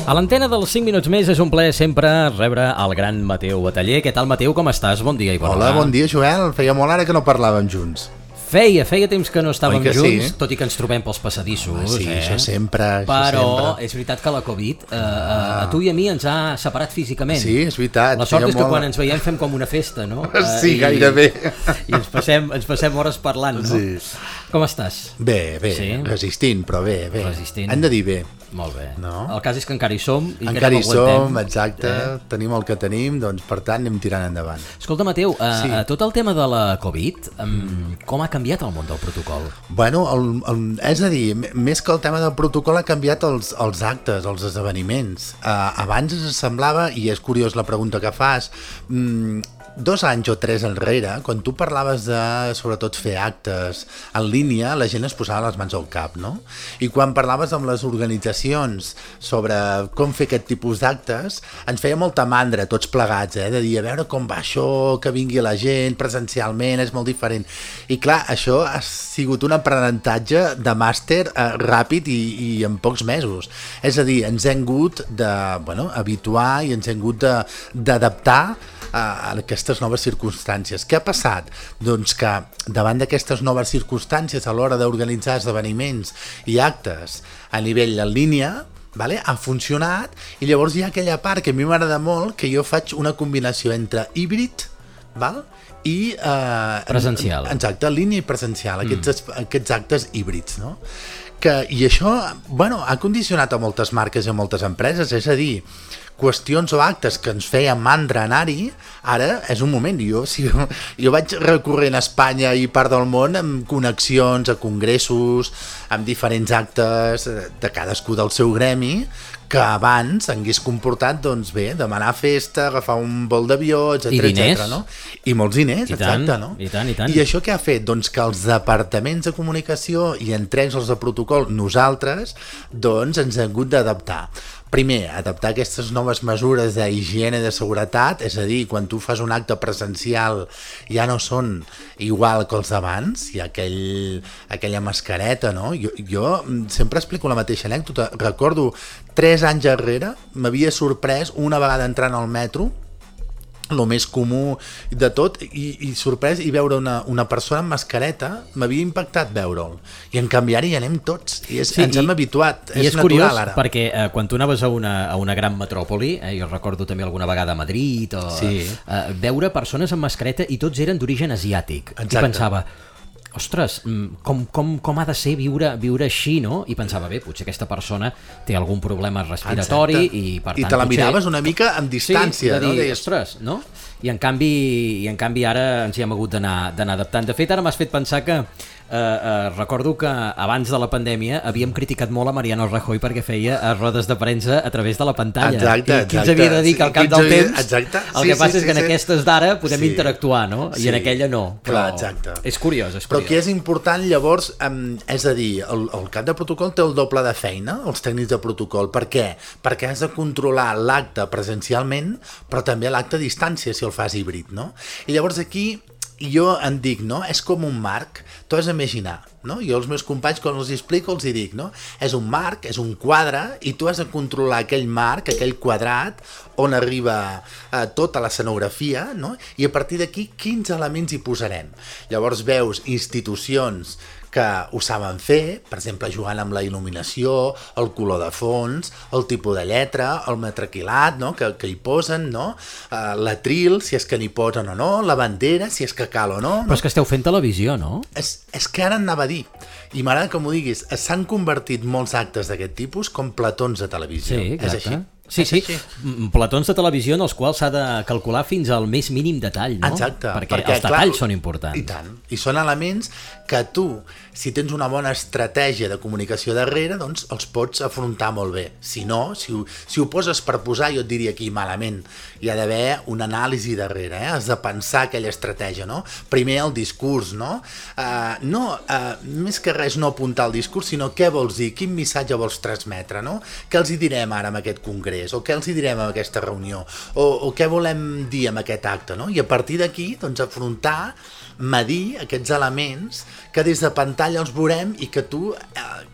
A l'antena dels 5 minuts més és un plaer sempre rebre el gran Mateu Bataller. Què tal, Mateu? Com estàs? Bon dia i bona hora. Hola, bon dia, Joel. Feia molt ara que no parlàvem junts. Feia temps que no estàvem junts, sí? Tot i que ens trobem pels passadissos. Sí, això sempre. Però és veritat que la Covid a tu i a mi ens ha separat físicament. Sí, és veritat. La sort és que quan ens veiem fem com una festa, no? Sí, gairebé. I ens passem hores parlant, no? Sí. Com estàs? Bé, Sí? resistint, però bé. Resistint. Hem de dir bé. Molt bé. No? El cas és que encara hi som i Encara que hi som, exacte. Tenim el que tenim, doncs per tant anem tirant endavant. Escolta, Mateu, Sí. tot el tema de la Covid, com ha canviat el món del protocol? Bueno, és a dir, més que el tema del protocol ha canviat els actes, els esdeveniments. Abans es semblava, i és curiós la pregunta que fas, 2 anys o 3 enrere, quan tu parlaves de, sobretot, fer actes en línia, la gent es posava les mans al cap, no? I quan parlaves amb les organitzacions sobre com fer aquest tipus d'actes, ens feia molta mandra, tots plegats, de dir, a veure com va això, que vingui la gent presencialment, és molt diferent. I clar, això ha sigut un aprenentatge de màster ràpid i en pocs mesos. És a dir, ens hem hagut habituar i ens hem hagut d'adaptar a aquestes noves circumstàncies. Què ha passat? Doncs que davant d'aquestes noves circumstàncies a l'hora d'organitzar esdeveniments i actes a nivell en línia, ha funcionat, i llavors hi ha aquella part que a mi m'agrada molt, que jo faig una combinació entre híbrid i presencial. Exacte, línia i presencial, aquests actes híbrids, no? I això, ha condicionat a moltes marques i a moltes empreses, és a dir, qüestions o actes que ens feien mandra anar-hi, ara és un moment. Jo vaig recorrent a Espanya i part del món amb connexions a congressos, amb diferents actes de cadascú del seu gremi, que abans hagués comportat, doncs bé, demanar festa, agafar un vol d'avió, etc. I diners. No? I molts diners, exacte, no? I tant. I això què ha fet? Doncs que els departaments de comunicació i entre ells els de protocol, nosaltres, doncs ens hem hagut d'adaptar. Primer, adaptar aquestes noves mesures d'higiene i de seguretat, és a dir, quan tu fas un acte presencial ja no són igual que els d'abans, hi ha aquella mascareta, no? Jo sempre explico la mateixa anècdota. Recordo 3 anys enrere m'havia sorprès una vegada entrant al metro, el més comú de tot, i sorprès, i veure una persona amb mascareta m'havia impactat veure'l, i en canvi ara hi anem tots i ens hem habituat, és natural curiós, ara. perquè quan tu anaves a una gran metròpoli, jo recordo també alguna vegada a Madrid, veure persones amb mascareta i tots eren d'origen asiàtic. Exacte. I pensava, ostres, com ha de ser viure així, no? I pensava, bé, potser aquesta persona té algun problema respiratori. Exacte. I per tant... I te la miraves una mica amb distància, sí, de dir, no? Ostres, no? I en canvi ara ens hi hem hagut d'anar adaptant. De fet, ara m'has fet pensar que recordo que abans de la pandèmia havíem criticat molt a Mariano Rajoy perquè feia rodes de premsa a través de la pantalla. Exacte. I qui ens havia de dir que al cap del temps el que passa és que en aquestes d'ara podem interactuar, no? I en aquella no. Clar, exacte. És curiós. Però que és important, llavors, és a dir, el cap de protocol té el doble de feina, els tècnics de protocol. Per què? Perquè has de controlar l'acte presencialment, però també l'acte a distància, si el fas híbrid, no? I llavors aquí jo en dic, no? És com un marc, tu has d'imaginar, no? Jo als meus companys, quan els explico, els hi dic, no? És un marc, és un quadre, i tu has de controlar aquell marc, aquell quadrat, on arriba tota l'escenografia, no? I a partir d'aquí, quins elements hi posarem? Llavors veus institucions que ho saben fer, per exemple, jugant amb la il·luminació, el color de fons, el tipus de lletra, el metraquilat, no? que hi posen, no? L'atril, si és que n'hi posen o no, la bandera, si és que cal o no. Però és que esteu fent televisió, no? És que ara anava a dir, i m'agrada que m'ho diguis, s'han convertit molts actes d'aquest tipus com platons de televisió. Sí, exacte. És així? Sí, platons de televisió en els quals s'ha de calcular fins al més mínim detall, no? Exacte. Perquè els detalls són importants. I tant. I són elements que tu, si tens una bona estratègia de comunicació darrere, doncs els pots afrontar molt bé. Si no, si ho poses per posar, jo et diria aquí malament. Hi ha d'haver una anàlisi darrere, has de pensar aquella estratègia, no? Primer el discurs, no? Més que res no apuntar el discurs, sinó què vols dir, quin missatge vols transmetre, no? Què els hi direm ara amb aquest congrés? d'interès, o què els hi direm en aquesta reunió, o què volem dir amb aquest acte, no? I a partir d'aquí, doncs, afrontar, medir aquests elements que des de pantalla els veurem i que tu,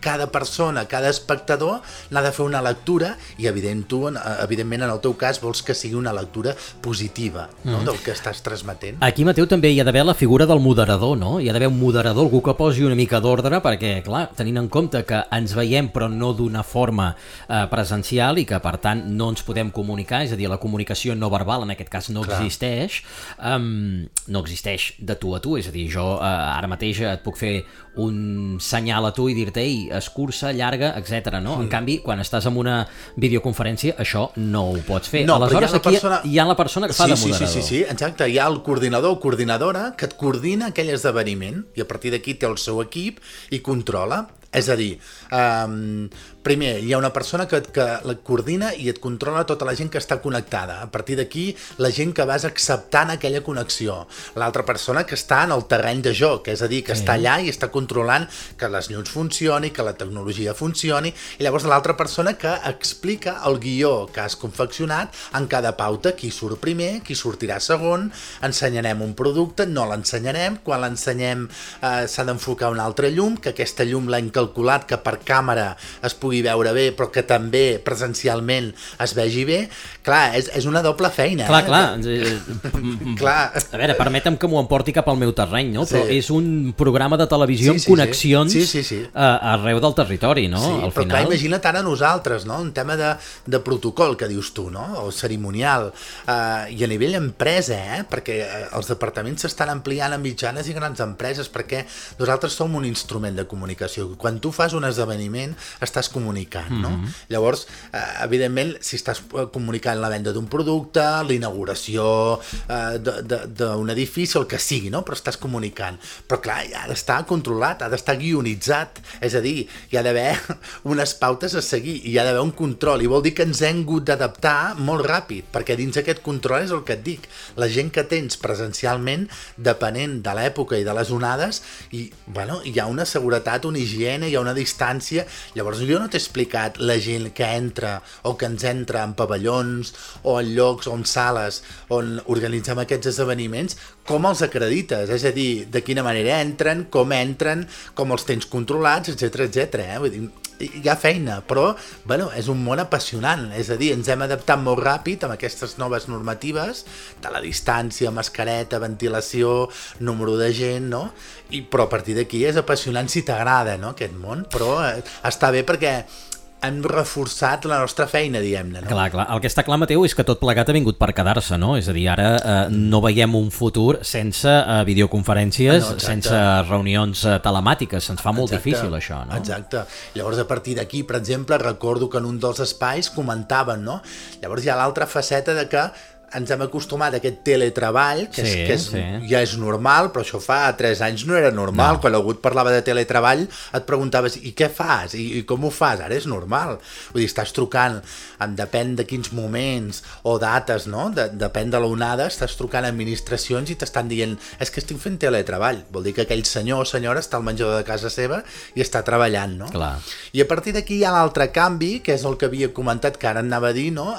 cada persona, cada espectador n'ha de fer una lectura i evidentment en el teu cas vols que sigui una lectura positiva, no? Del que estàs transmetent. Aquí, Mateu, també hi ha d'haver la figura del moderador, no? Hi ha d'haver un moderador, algú que posi una mica d'ordre, perquè, clar, tenint en compte que ens veiem però no d'una forma presencial i que, per tant, no ens podem comunicar, és a dir, la comunicació no verbal, en aquest cas, no existeix, no existeix de tu a tu, és a dir, jo ara mateix et puc fer un senyal a tu i dir-te, ei, escurça, llarga, etc. No? En canvi, quan estàs en una videoconferència, això no ho pots fer. No, aleshores, aquí hi ha la persona que fa de moderador. Sí, exacte. Hi ha el coordinador o coordinadora que et coordina aquell esdeveniment i a partir d'aquí té el seu equip i controla. És a dir, primer, hi ha una persona que la coordina i et controla tota la gent que està connectada. A partir d'aquí, la gent que vas acceptant aquella connexió. L'altra persona que està en el terreny de joc, és a dir, que està allà i està controlant que les llums funcioni, que la tecnologia funcioni, i llavors l'altra persona que explica el guió que has confeccionat en cada pauta, qui surt primer, qui sortirà segon, ensenyarem un producte, no l'ensenyarem, quan l'ensenyem s'ha d'enfocar una altra llum, que aquesta llum l'hem calculat que per càmera es pugui veure bé, però que també presencialment es vegi bé. Clar, és una doble feina. Clar. Clar. A veure, permetem que m'ho emporti cap al meu terreny, no? Però és un programa de televisió amb connexions arreu del territori, no? Sí, al però final... clar, imagina't ara nosaltres, no? Un tema de protocol, que dius tu, no? O cerimonial. I a nivell empresa, perquè els departaments s'estan ampliant a mitjanes i grans empreses, perquè nosaltres som un instrument de comunicació. Quan tu fas un esdeveniment, estàs comunicant, no? Llavors, evidentment, si estàs comunicant la venda d'un producte, la inauguració d'un edifici, el que sigui, no? Però estàs comunicant. Però clar, ha d'estar controlat, ha d'estar guionitzat, és a dir, hi ha d'haver unes pautes a seguir, hi ha d'haver un control, i vol dir que ens hem hagut d'adaptar molt ràpid, perquè dins aquest control és el que et dic, la gent que tens presencialment, depenent de l'època i de les onades, i, bueno, hi ha una seguretat, una higiene, hi ha una distància. Llavors jo no t'he explicat la gent que entra o que ens entra en pavellons o en llocs o en sales on organitzem aquests esdeveniments, com els acredites, és a dir, de quina manera entren, com els tens controlats, etc. Vull dir, hi ha feina, però bueno, és un món apassionant, és a dir, ens hem adaptat molt ràpid amb aquestes noves normatives de la distància, mascareta, ventilació, número de gent, no? Però a partir d'aquí és apassionant si t'agrada, no, aquest món, però està bé perquè hem reforçat la nostra feina, diguem-ne, no? Clar. El que està clar, Mateu, és que tot plegat ha vingut per quedar-se, no? És a dir, ara no veiem un futur sense videoconferències, sense reunions telemàtiques. Se'ns fa molt difícil, això, no? Exacte. Llavors, a partir d'aquí, per exemple, recordo que en un dels espais comentaven, no? Llavors hi ha l'altra faceta de que ens hem acostumat a aquest teletreball, que ja és normal, però això fa 3 anys no era normal. Quan algú et parlava de teletreball et preguntaves, i què fas? I com ho fas? Ara és normal. Vull dir, estàs trucant, depèn de quins moments o dates, no? Depèn de l'onada, estàs trucant a administracions i t'estan dient, és que estic fent teletreball. Vol dir que aquell senyor o senyora està al menjador de casa seva i està treballant, no? Clar. I a partir d'aquí hi ha l'altre canvi, que és el que havia comentat, que ara anava a dir, no?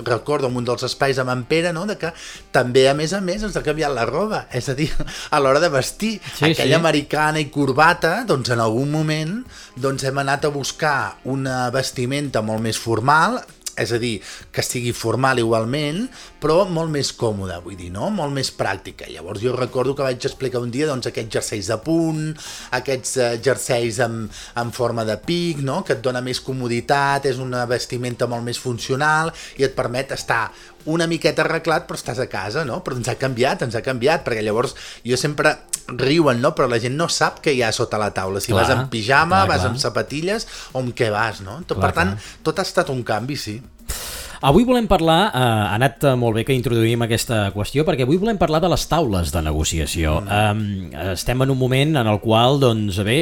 Recordo en un dels espais amb en Pere, no? De que també, a més, ens ha canviat la roba, és a dir, a l'hora de vestir, aquella americana i corbata, doncs en algun moment hem anat a buscar una vestimenta molt més formal, és a dir, que sigui formal igualment, però molt més còmode, vull dir, no? Molt més pràctica. Llavors jo recordo que vaig explicar un dia aquests jerseis de punt, aquests jerseis en forma de pic, no? Que et dona més comoditat, és una vestimenta molt més funcional i et permet estar una miqueta arreglat, però estàs a casa, no? Però ens ha canviat, perquè llavors jo sempre riuen, no? Però la gent no sap què hi ha sota la taula, si vas en pijama, vas amb sapatilles o amb què vas, no? Per tant, tot ha estat un canvi, sí. Avui volem parlar, ha anat molt bé que introduïm aquesta qüestió, perquè avui volem parlar de les taules de negociació. Estem en un moment en el qual, doncs bé,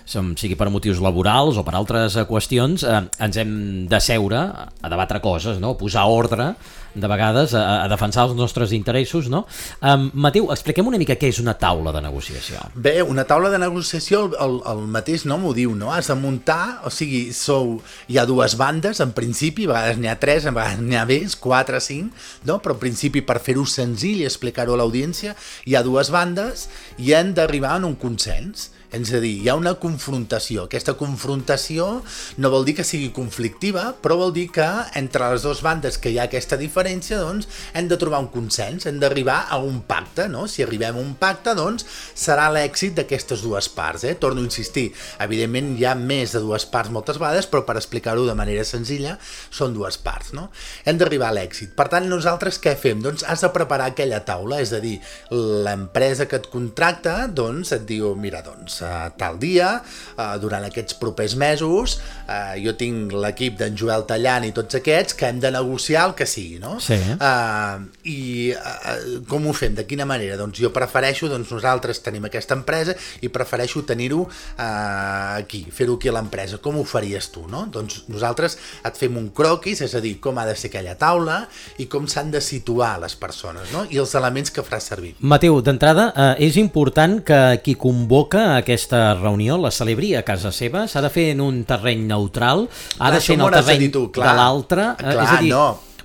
sigui per motius laborals o per altres qüestions, ens hem de seure a debatre coses, no? Posar ordre de vegades a defensar els nostres interessos, no? Mateu, expliquem una mica què és una taula de negociació. Bé, una taula de negociació, el mateix nom ho diu, no? Has de muntar, o sigui, hi ha dues bandes, en principi, a vegades n'hi ha 3, a vegades n'hi ha més, 4, 5, no? Però en principi, per fer-ho senzill i explicar-ho a l'audiència, hi ha dues bandes i han d'arribar a un consens. És a dir, hi ha una confrontació. Aquesta confrontació no vol dir que sigui conflictiva, però vol dir que entre les dues bandes que hi ha aquesta diferència, doncs, hem de trobar un consens, hem d'arribar a un pacte, no? Si arribem a un pacte, doncs, serà l'èxit d'aquestes dues parts, Torno a insistir, evidentment hi ha més de dues parts moltes vegades, però per explicar-ho de manera senzilla, són dues parts, no? Hem d'arribar a l'èxit. Per tant, nosaltres què fem? Doncs has de preparar aquella taula, és a dir, l'empresa que et contracta, doncs, et diu, mira, doncs, tal dia, durant aquests propers mesos, jo tinc l'equip d'en Joel Tallant i tots aquests que hem de negociar el que sigui, no? Sí. I com ho fem? De quina manera? Doncs jo prefereixo, doncs nosaltres tenim aquesta empresa i prefereixo tenir-ho aquí, fer-ho aquí a l'empresa. Com ho faries tu, no? Doncs nosaltres et fem un croquis, és a dir, com ha de ser aquella taula i com s'han de situar les persones, no? I els elements que faràs servir. Mateu, d'entrada, és important que qui convoca aquesta reunió la celebri a casa seva, s'ha de fer en un terreny neutral, ha de ser en el terreny de l'altre, és a dir,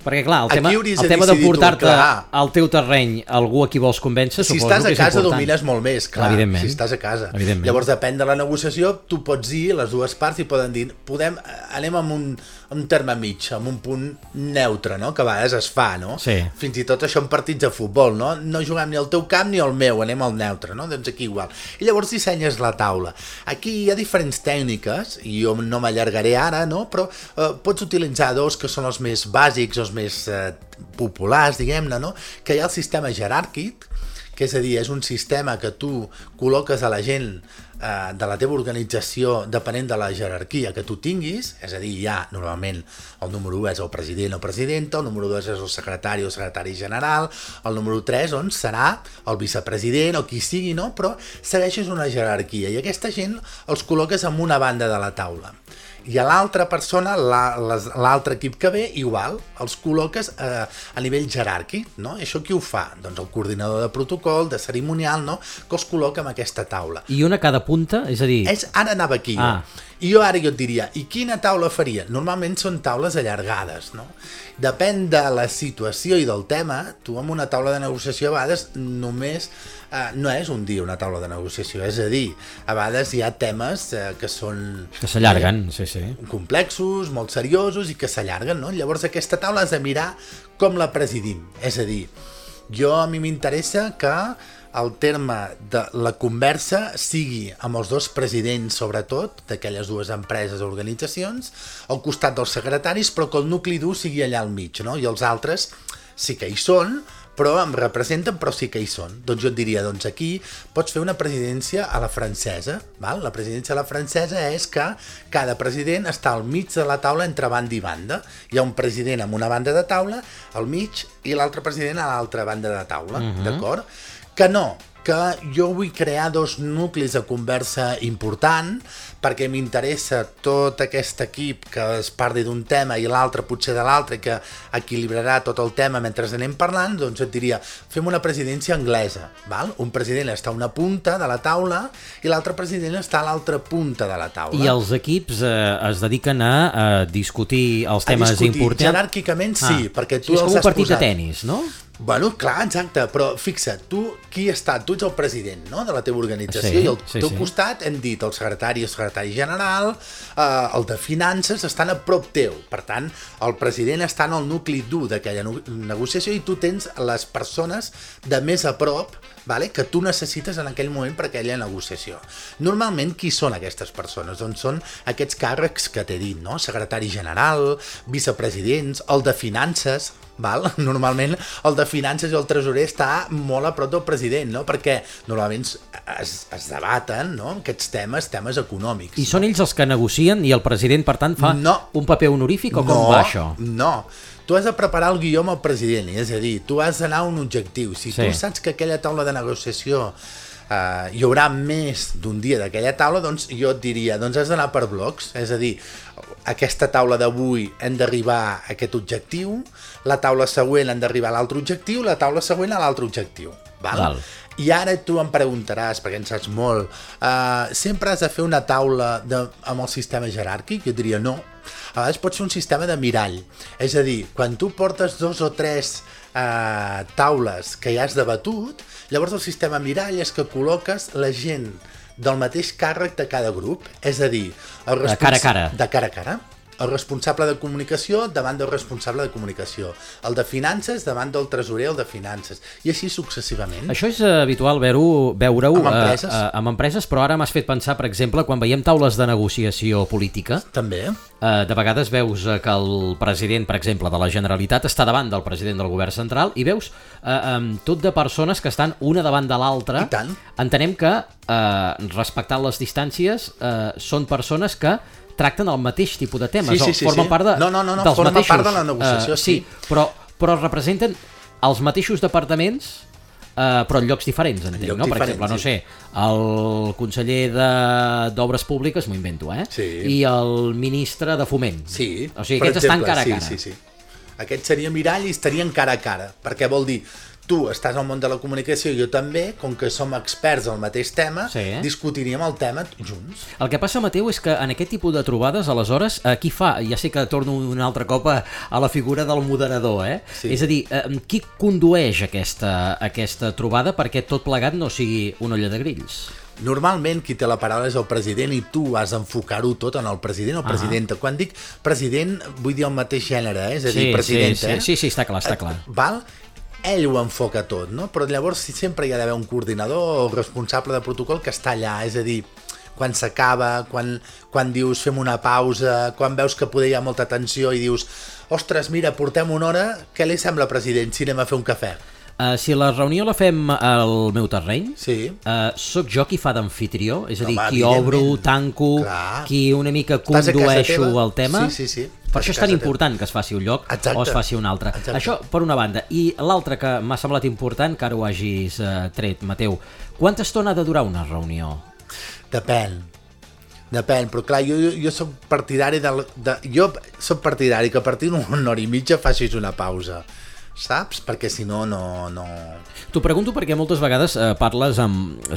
perquè clar, el tema de portar-te al teu terreny algú a qui vols convèncer, si suposo que és important. Si estàs a casa domines molt més, clar, si estàs a casa. Llavors depèn de la negociació, tu pots dir, les dues parts i poden dir, anem amb un terme mig, amb un punt neutre, no? Que a vegades es fa, no? Sí. Fins i tot això en partits de futbol, no? No juguem ni al teu camp ni al meu, anem al neutre, no? Doncs aquí igual. I llavors dissenyes la taula. Aquí hi ha diferents tècniques, i jo no m'allargaré ara, no? Però pots utilitzar dos que són els més bàsics, els més populars, diguem-ne, no? Que hi ha el sistema jeràrquic, que és a dir, és un sistema que tu col·loques a la gent de la teva organització depenent de la jerarquia que tu tinguis, és a dir, hi ha normalment el número 1 és el president o presidenta, el número 2 és el secretari o secretari general, el número 3 doncs, serà el vicepresident o qui sigui, no? Però segueixes una jerarquia i aquesta gent els col·loques en una banda de la taula. I a l'altra persona, l'altre equip que ve, igual, els col·loques a nivell jeràrquic, no? I això qui ho fa? Doncs el coordinador de protocol, de cerimonial, no? Que els col·loca en aquesta taula. I una a cada punta? És a dir... Ara anava aquí, I jo ara et diria, i quina taula faria? Normalment són taules allargades, no? Depèn de la situació i del tema, tu amb una taula de negociació a vegades només no és un dia una taula de negociació, és a dir, a vegades hi ha temes que són... Que s'allarguen, sí. Complexos, molt seriosos i que s'allarguen, no? Llavors aquesta taula has de mirar com la presidim, és a dir, a mi m'interessa que el terme de la conversa sigui amb els dos presidents, sobretot, d'aquelles dues empreses o organitzacions, al costat dels secretaris, però que el nucli dur sigui allà al mig, no? I els altres sí que hi són, però em representen, però sí que hi són. Doncs jo et diria, doncs aquí pots fer una presidència a la francesa, val? La presidència a la francesa és que cada president està al mig de la taula entre banda i banda. Hi ha un president amb una banda de taula al mig i l'altre president a l'altra banda de taula, d'acord? Que jo vull crear dos nuclis de conversa important perquè m'interessa tot aquest equip que es parli d'un tema i l'altre potser de l'altre, que equilibrarà tot el tema mentre anem parlant, doncs et diria, fem una presidència anglesa, val? Un president està a una punta de la taula i l'altre president està a l'altra punta de la taula. I els equips es dediquen a discutir els temes importants? Jeràrquicament sí, perquè tu els has posat. És com un partit de tenis, no? Bueno, clar, exacte, però fixa't, tu qui està? Tu ets el president, no?, de la teva organització, i al teu costat hem dit el secretari general, el de finances estan a prop teu, per tant, el president està en el nucli dur d'aquella negociació i tu tens les persones de més a prop, vale, que tu necessites en aquell moment per aquella negociació. Normalment, qui són aquestes persones? Doncs són aquests càrrecs que t'he dit, no? Secretari general, vicepresidents, el de finances, val? Normalment el de finances i el tresorer està molt a prop del president, no? Perquè normalment es debaten, no?, aquests temes econòmics. I són ells els que negocien i el president, per tant, fa un paper honorífic o com va això? No, tu has de preparar el guió amb el president, és a dir, tu has d'anar a un objectiu. Si tu saps que aquella taula de negociació hi haurà més d'un dia d'aquella taula, doncs jo et diria, doncs has d'anar per blocs, és a dir, aquesta taula d'avui hem d'arribar a aquest objectiu, la taula següent hem d'arribar a l'altre objectiu, la taula següent a l'altre objectiu. Val? I ara tu em preguntaràs, perquè en saps molt, sempre has de fer una taula amb el sistema jeràrquic? Jo diria no. A vegades pot ser un sistema de mirall. És a dir, quan tu portes 2 o 3 taules que ja has debatut, llavors el sistema mirall és que col·loques la gent del mateix càrrec de cada grup. És a dir, de cara a cara. De cara a cara. El responsable de comunicació davant del responsable de comunicació, el de finances davant del tresorer, el de finances, i així successivament. Això és habitual veure-ho amb empreses, però ara m'has fet pensar, per exemple, quan veiem taules de negociació política, també. De vegades veus que el president, per exemple, de la Generalitat està davant del president del govern central i veus tot de persones que estan una davant de l'altra. I tant. Entenem que, respectant les distàncies, són persones que tracten el mateix tipus de temes, formen part dels mateixos. Part de la negociació, sí. Però representen els mateixos departaments, però en llocs diferents, entenc, no? Per exemple, no sé, el conseller d'Obres Públiques, m'ho invento, Sí. I el ministre de Foment. Sí. O sigui, aquests estan cara a cara. Sí. Aquest seria mirall i estarien cara a cara, perquè vol dir, tu estàs al món de la comunicació i jo també, com que som experts al mateix tema, discutiríem el tema junts. El que passa, Mateu, és que en aquest tipus de trobades, aleshores, qui fa? Ja sé que torno un altre cop a la figura del moderador, Sí. És a dir, qui condueix aquesta trobada perquè tot plegat no sigui una olla de grills? Normalment qui té la paraula és el president i tu has d'enfocar-ho tot en el president o presidenta. Quan dic president vull dir el mateix gènere, és a dir, presidenta. Sí, està clar. Val? Ell ho enfoca tot, no? Però llavors sempre hi ha d'haver un coordinador o responsable de protocol que està allà, és a dir, quan s'acaba, quan dius fem una pausa, quan veus que poder hi ha molta tensió i dius, ostres, mira, portem una hora, què li sembla, president, si anem a fer un cafè? Si la reunió la fem al meu terreny, sóc jo qui fa d'amfitrió, és a dir, qui obro, tanco, qui una mica condueixo el tema. Sí. Per això és tan important que es faci un lloc o es faci un altre. Això per una banda. I l'altra que m'ha semblat important, que ara ho hagis tret, Mateu, quanta estona ha de durar una reunió? Depèn, però clar, jo soc partidari soc partidari que a partir d'una hora i mitja facis una pausa, saps? Perquè si no, no... T'ho pregunto perquè moltes vegades parles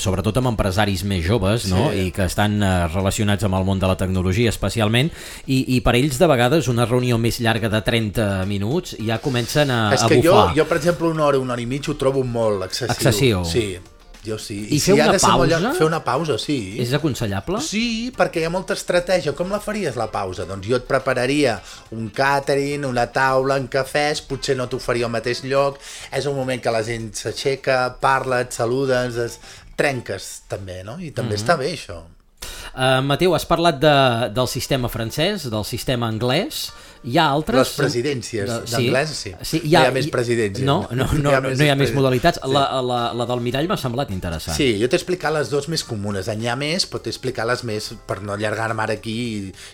sobretot amb empresaris més joves, no? I que estan relacionats amb el món de la tecnologia especialment, i per ells de vegades una reunió més llarga de 30 minuts ja comencen a bufar. És que jo, per exemple, una hora i mitja ho trobo molt excessiu. Sí. Jo sí. I fer una pausa? Fer una pausa, sí. És aconsellable? Sí, perquè hi ha molta estratègia. Com la faries, la pausa? Doncs jo et prepararia un catering, una taula, un cafès, potser no t'ho faria al mateix lloc, és un moment que la gent s'aixeca, parla, et saludes, trenques també, no? I també està bé, això. Mateu, has parlat del sistema francès, del sistema anglès. Hi ha altres... Les presidències d'anglès, sí. No hi ha més presidències. No hi ha més modalitats. La del mirall m'ha semblat interessant. Sí, jo t'he explicat les dues més comunes. N'hi ha més, però t'he explicat les més per no allargar-me ara aquí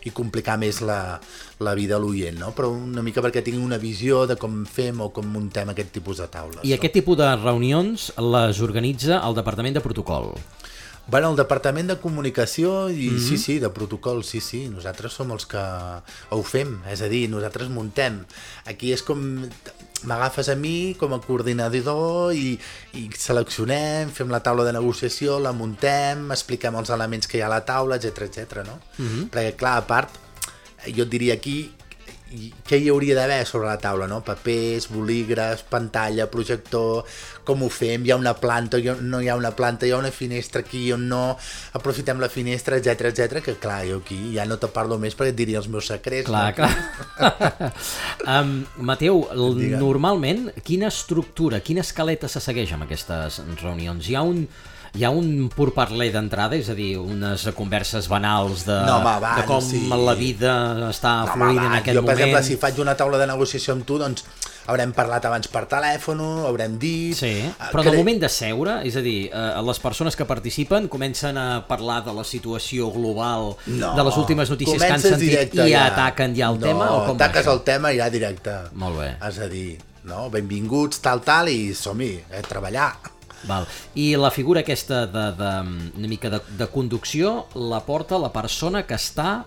i complicar més la vida a l'oient, no? Però una mica perquè tingui una visió de com fem o com muntem aquest tipus de taules. I aquest tipus de reunions les organitza el Departament de Protocol. Bueno, el Departament de Comunicació i sí, de protocol, sí, nosaltres som els que ho fem, és a dir, nosaltres muntem. Aquí és com m'agafes a mi com a coordinador i seleccionem, fem la taula de negociació, la muntem, expliquem els elements que hi ha a la taula, etc, no? Perquè, clar, a part, jo et diria aquí què hi hauria d'haver sobre la taula, no? Papers, bolígrafs, pantalla, projector, com ho fem, hi ha una planta, no hi ha una planta, hi ha una finestra aquí on no, aprofitem la finestra, etc, que clar, jo aquí ja no te parlo més perquè et diria els meus secrets. Clar. Mateu, normalment, quina estructura, quina escaleta se segueix amb aquestes reunions? Hi ha un pourparler d'entrada, és a dir, unes converses banals de com la vida està fluint en aquest moment. Jo, per exemple, si faig una taula de negociació amb tu, doncs haurem parlat abans per telèfon, haurem dit... Sí, però en el moment de seure, és a dir, les persones que participen comencen a parlar de la situació global, de les últimes notícies que han sentit i ataquen ja el tema? No, ataques el tema i ja directe. Molt bé. És a dir, benvinguts, tal, i som-hi, treballar. Val. I la figura aquesta una mica de conducció la porta la persona que està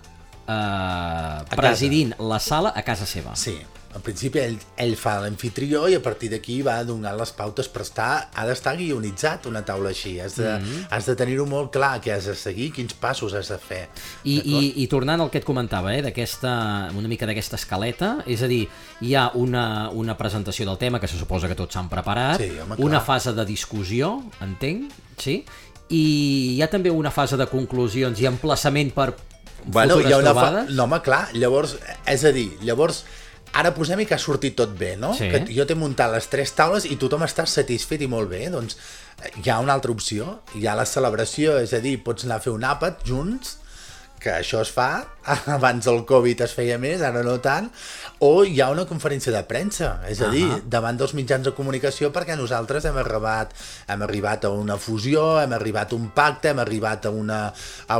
presidint la sala a casa seva. Sí, en principi ell fa l'anfitrió i a partir d'aquí va donant les pautes, però ha d'estar guionitzat una taula així, has de tenir-ho molt clar què has de seguir, quins passos has de fer. I tornant al que et comentava, una mica d'aquesta escaleta, és a dir, hi ha una presentació del tema que se suposa que tots s'han preparat, sí, home, una fase de discussió, entenc, sí? I hi ha també una fase de conclusions i emplaçament per futures trobades? No, home, clar, llavors, és a dir, ara posem-hi que ha sortit tot bé, no? Sí. Que jo t'he muntat les 3 taules i tothom està satisfet i molt bé, doncs hi ha una altra opció, hi ha la celebració, és a dir, pots anar a fer un àpat junts, que això es fa, abans del Covid es feia més, ara no tant, o hi ha una conferència de premsa, és a dir, davant dels mitjans de comunicació, perquè nosaltres hem arribat a una fusió, hem arribat a un pacte, hem arribat a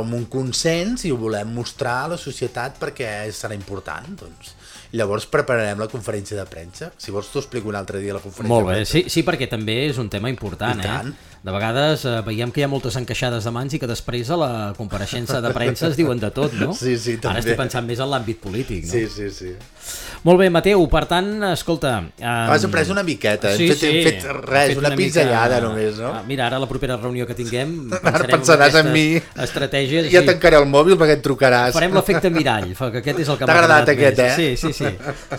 un consens i ho volem mostrar a la societat perquè serà important, doncs. Llavors prepararem la conferència de premsa. Si vols t'ho explico un altre dia la conferència de premsa. Molt bé, sí, perquè també és un tema important. De vegades veiem que hi ha moltes encaixades de mans i que després a la compareixença de premsa es diuen de tot, no? Sí, també. Ara estic pensant més en l'àmbit polític, no? Sí. Molt bé, Mateu, per tant, escolta... Has après una miqueta, hem fet res, una pinzellada només, no? Mira, ara la propera reunió que tinguem ara pensaràs en mi, estratègies. Ja tancaré el mòbil perquè et trucaràs. Farem l'efecte mirall, que aquest és el que m'ha agradat aquest,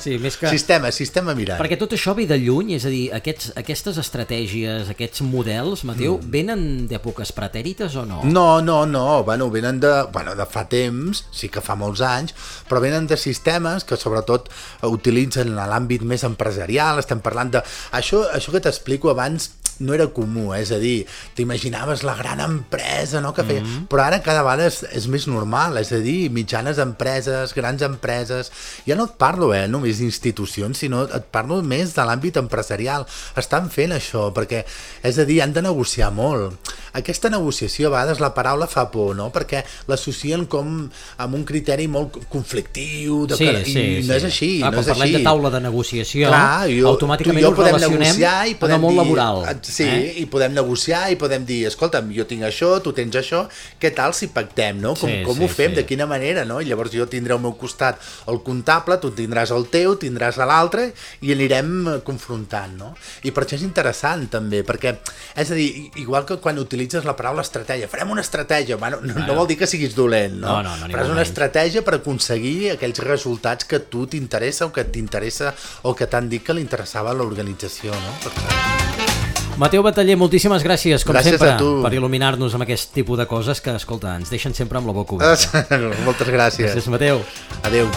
Sí, més que... Sistema mirall. Perquè tot això ve de lluny, és a dir, aquestes estratègies, aquests models, Mateu, venen d'èpoques pretèrites o no? No, venen de fa temps, sí que fa molts anys, però venen de sistemes que sobretot utilitzen a l'àmbit més empresarial, estem parlant de... Això que t'explico abans no era comú, és a dir, t'imaginaves la gran empresa, no?, que feia... Però ara cada vegada és més normal, és a dir, mitjanes empreses, grans empreses... Ja no et parlo, només d'institucions, sinó et parlo més de l'àmbit empresarial. Estan fent això, perquè, és a dir, han de negociar molt. Aquesta negociació, a vegades la paraula fa por, no?, perquè l'associen com amb un criteri molt conflictiu, sí. No és així, no és així. Quan parlem de taula de negociació, automàticament ho relacionem amb el món laboral. Sí, i podem negociar i podem dir, escolta'm, jo tinc això, tu tens això, què tal si pactem, no? Com ho fem, de quina manera, no? I llavors jo tindré al meu costat el comptable, tu tindràs el teu, tindràs l'altre i anirem confrontant, no? I per això és interessant també, perquè, és a dir, igual que quan utilitzes la paraula estratègia, farem una estratègia, no vol dir que siguis dolent, no? Però és una estratègia per aconseguir aquells resultats que a tu t'interessa o que t'interessa o que t'han dit que li interessava a l'organització, no? Mateu Bataller, moltíssimes gràcies, com sempre, per il·luminar-nos amb aquest tipus de coses que, escolta, ens deixen sempre amb la boca oberta. Moltes gràcies. Gràcies, Mateu. Adéu.